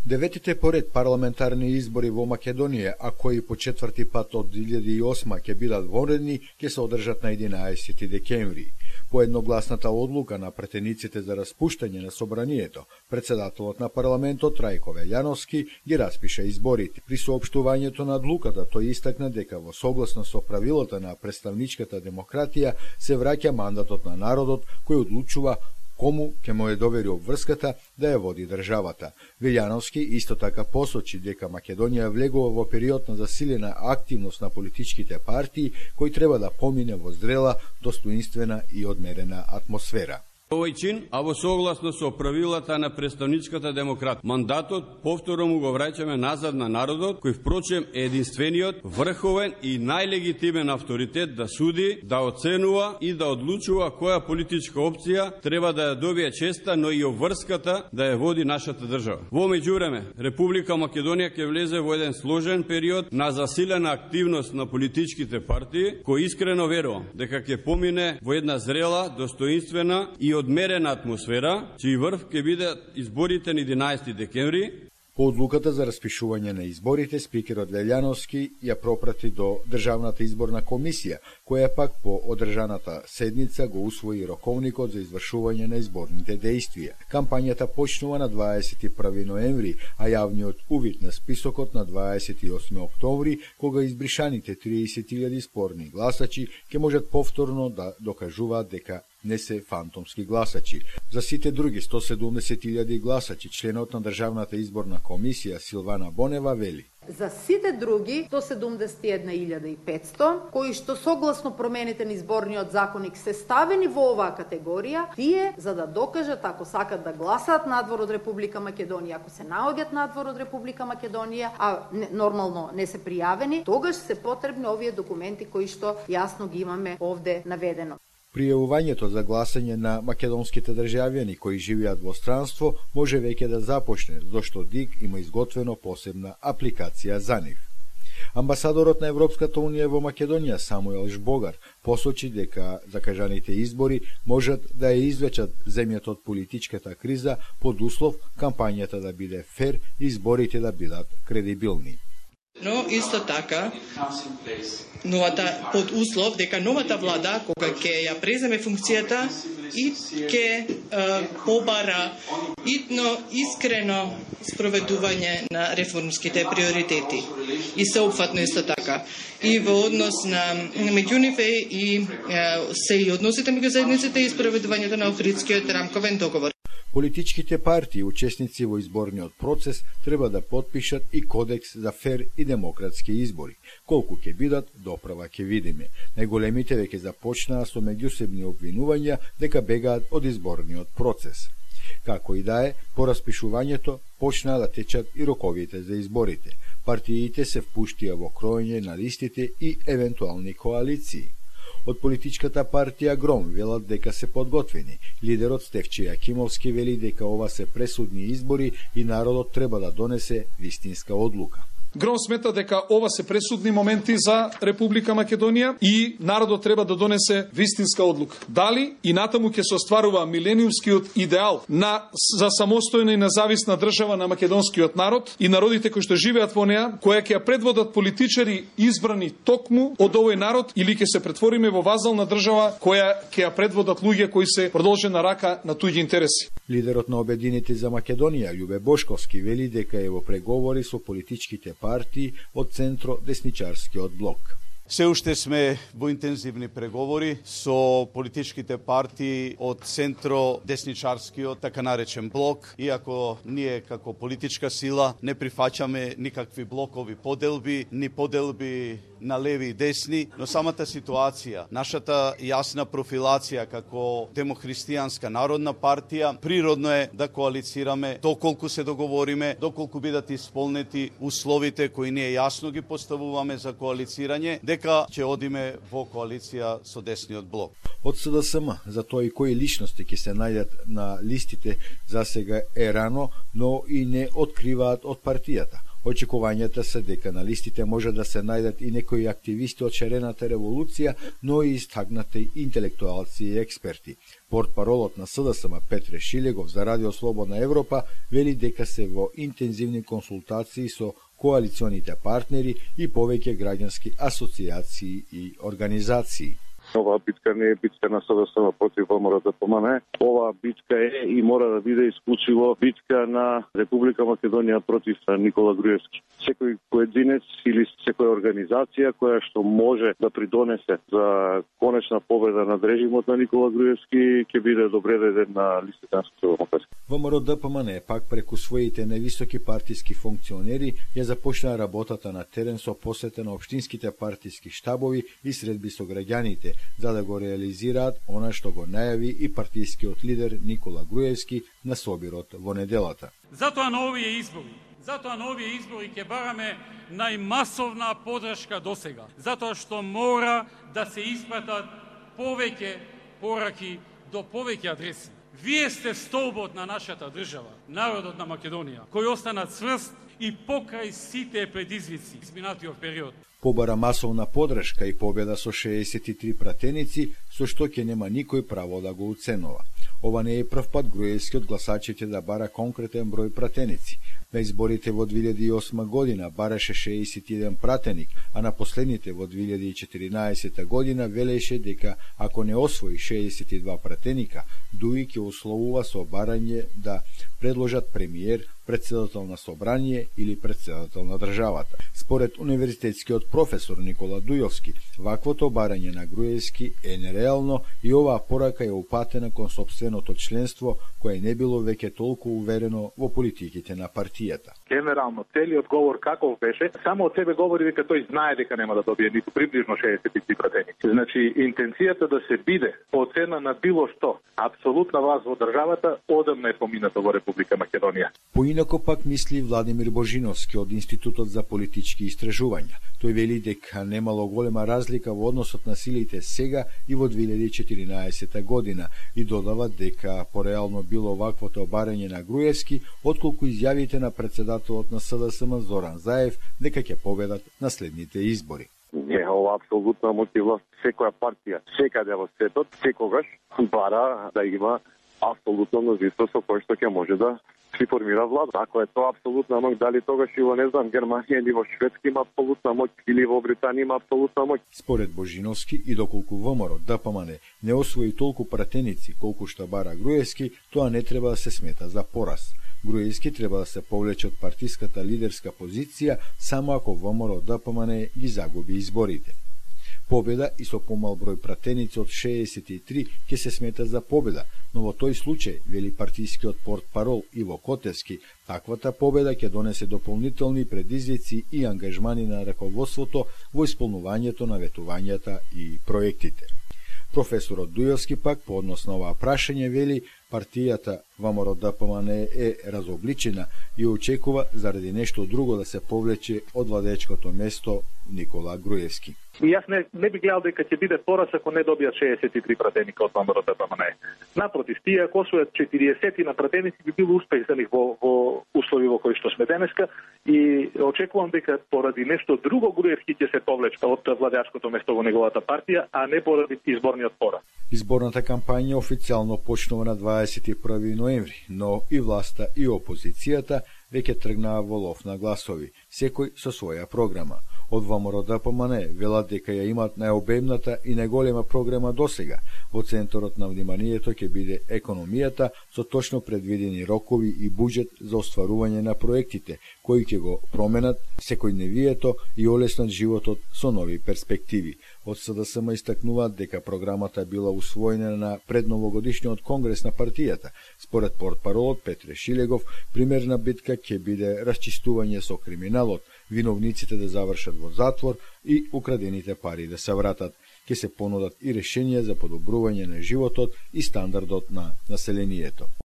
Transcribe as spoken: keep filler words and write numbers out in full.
Деветите поред парламентарни избори во Македонија, а кои по четврти пат од две илјади и осма ќе бидат вонредни, ќе се одржат на единаесети декември. По едногласната одлука на претениците за распуштање на собранието, председателот на парламентот Трајко Велјановски ги распиша изборите. При соопштувањето на одлуката тој истакна дека во согласно со правилата на представничката демократија се враќа мандатот на народот кој одлучува кому ќе му е довери обврската да ја води државата. Велјановски исто така посочи дека Македонија влегува во период на засилена активност на политичките партии кој треба да помине во зрела, достоинствена и одмерена атмосфера. Овој чин, а во согласно со правилата на представничката демократија, мандатот повторно му го враќаме назад на народот, кој впрочем е единствениот, врховен и најлегитимен авторитет да суди, да оценува и да одлучува која политичка опција треба да ја добие честа, но и обврската да ја води нашата држава. Во меѓувреме, Република Македонија ќе влезе во еден сложен период на засилена активност на политичките партии, кој искрено верувам дека ќе помине во една зрела, достоинствена и одмерена атмосфера, чиј врв ќе бидат изборите на единаесети декември. По одлуката за распишување на изборите, спикерот Велјановски ја пропрати до Државната изборна комисија, која пак по одржаната седница го усвои роковникот за извршување на изборните дејствија. Кампањата почнува на дваесет и први ноември, а јавниот увид на списокот на дваесет и осми октомври, кога избришаните триесет илјади спорни гласачи ќе можат повторно да докажуваат дека не се фантомски гласачи. За сите други сто седумдесет илјади гласачи, членот на Државната изборна комисија Силвана Бонева вели: За сите други сто седумдесет и една илјада и петсто, кои што согласно промените на изборниот законник се ставени во оваа категорија, тие за да докажат ако сакат да гласаат надвор од Република Македонија, ако се наоѓаат надвор од Република Македонија, а не, нормално не се пријавени, тогаш се потребни овие документи кои што јасно ги имаме овде наведено. Пријавувањето за гласање на македонските државјани кои живеат во странство може веќе да започне, зашто ДИК има изготвено посебна апликација за нив. Амбасадорот на Европската унија во Македонија Самуел Жбогар посочи дека закажаните избори можат да ја извлечат земјата од политичката криза под услов кампањата да биде фер и изборите да бидат кредибилни. Но исто така, новата под услов дека новата влада кога ќе ја преземе функцијата и ќе побара итно искрено спроведување на реформските приоритети и сеопфатно исто така и во однос на меѓу нив и се и односите меѓу заедниците и спроведувањето на Охридскиот рамковен договор. Политичките партии, учесници во изборниот процес, треба да потпишат и кодекс за фер и демократски избори. Колку ќе бидат, доправа ќе видиме. Најголемите веќе започнаа со меѓусебни обвинувања дека бегаат од изборниот процес. Како и да е, по распишувањето почнаа да течат и роковите за изборите. Партиите се впуштија во кроење на листите и евентуални коалиции. Од политичката партија Гром велат дека се подготвени. Лидерот Стефче Јакимовски вели дека ова се пресудни избори и народот треба да донесе вистинска одлука. Гром смета дека ова се пресудни моменти за Република Македонија и народот треба да донесе вистинска одлука. Дали и натаму ќе се остварува милениумскиот идеал на за самостојна и независна држава на македонскиот народ и народите кои што живеат во неа, која ќе ја предводат политичари избрани токму од овој народ, или ќе се претвориме во вазална држава која ќе ја предводат луѓе кои се продолжена рака на туѓи интереси. Лидерот на Обединети за Македонија Љубе Бошковски вели дека е во преговори со политичките партии од центро-десничарскиот блок. Се уште сме во интензивни преговори со политичките партии од центро-десничарскиот, така наречен блок, иако ние како политичка сила не прифаќаме никакви блокови поделби, ни поделби на леви и десни, но самата ситуација, нашата јасна профилација како демохристијанска народна партија, природно е да коалицираме доколку се договориме, доколку бидат исполнети условите кои ние јасно ги поставуваме за коалицирање, дека ќе одиме во коалиција со десниот блок. Од СДСМ за тоа и кои личности ќе се најдат на листите за сега е рано, но и не откриваат од партијата. Очекувањата се дека на листите може да се најдат и некои активисти од шарената револуција, но и истакнати интелектуалци и експерти. Портпаролот на СДСМ Петре Шилегов за Радио Слободна Европа вели дека се во интензивни консултации со коалиционите партнери и повеќе граѓански асоциации и организации. Оваа битка не е битка на СДСМ против ВМРО-ДПМН. Оваа битка е и мора да биде исклучиво битка на Република Македонија против Никола Груевски. Секој поединец или секоја организација која што може да придонесе за конечна победа над режимот на Никола Груевски ќе биде добре дојден на листите на Социјалдемократска. ВМРО-ДПМН пак преку своите невисоки партиски функционери ја започна работата на терен со посета на општинските партиски штабови и средби со граѓаните, за да го реализираат она што го најави и партискиот лидер Никола Груевски на собирот во неделата. Затоа на овие избори, затоа на овие избори ќе бараме најмасовна поддршка досега, затоа што мора да се испратат повеќе пораки до повеќе адреси. Вие сте столбот на нашата држава, народот на Македонија, кој остана цврст и покрај сите предизвици изминатиот период. Побара масовна поддршка и победа со шеесет и три пратеници, со што ќе нема никој право да го уценува. Ова не е прв пат Груевски од гласачите да бара конкретен број пратеници. На изборите во две илјади и осма година бараше шеесет и еден пратеник, а на последните во две илјади и четиринаесета година велеше дека ако не освои шеесет и два пратеника, дуи ќе условува со барање да предложат премиер, председател на собрание или председател на државата. Според универзитетскиот професор Никола Дујовски, ваквото барање на Груевски е нереално и оваа порака е упатена кон сопственото членство кое не било веќе толку уверено во политиките на партијата. Генерално, целиот говор каков беше, само од себе говори дека тој знае дека нема да добие ниту приближно шеесет и три пратеници. Значи, интенцијата да се биде по цена на било што, апсолутна власт во државата, одамна е помината во Република Македонија. Поинако пак мисли Владимир Божиновски од Институтот за политички истражувања. Тој вели дека немало голема разлика во односот на силите сега и во две илјади и четиринаесета година и додава дека пореално било ваквото барање на Груевски, отколку изјавите на председателот на СДСМ Зоран Заев дека ќе победат на следните избори. Не, ова апсолутна мотива. Секоја партија, секаде во светот, секогаш бара да има апсолутно мнозинство со кој што ќе може да си формира влада. Ако е тоа апсолутна моќ, дали тогаш и во, не знам, Германија или во Шведска има апсолутна моќ, или во Британија има апсолутна моќ. Според Божиновски, и доколку ВМРО-ДПМН не освои толку пратеници колку што бара Груевски, тоа не треба да се смета за пораз. Груевски треба да се повлече од партиската лидерска позиција само ако ВМРО-ДПМН ги загуби изборите. Победа и со помал број пратеници од шеесет и три ќе се смета за победа, но во тој случај, вели партискиот портпарол Иво Котевски, таквата победа ќе донесе дополнителни предизвици и ангажмани на раководството во исполнувањето на ветувањата и проектите. Професорот Дујовски пак по однос на оваа прашање вели партијата ВМРО-ДПМН е разобличена и очекува заради нешто друго да се повлече од владечкото место Никола Груевски. И јас не, не би гледал дека ќе биде пораз ако не добијат шеесет и три пратеника од ВМРО-ДПМН. Напротив, тие ако освојат четириесет на пратеници би било успех за нив во, во услови во кои што сме денеска и очекувам дека поради нешто друго Груевски ќе се повлече од владеачкото место во неговата партија, а не поради изборниот пораз. Изборната кампања официјално почнува на дваесет и први ноември, но и власта и опозицијата веќе тргнаа во лов на гласови, секој со своја програма. Од ВМРО-ДПМН велат дека ја имаат најобемната и најголема програма досега. Во центарот на вниманието ќе биде економијата со точно предвидени рокови и буџет за остварување на проектите, кои ќе го променат секојдневието и олеснат животот со нови перспективи. Од СДСМ истакнуваат дека програмата била усвоена на предновогодишниот конгрес на партијата. Според портпаролот Петре Шилегов, примерна битка ќе биде расчистување со криминалот, виновниците да завршат во затвор и украдените пари да се вратат. Ќе се понудат и решенија за подобрување на животот и стандардот на населението.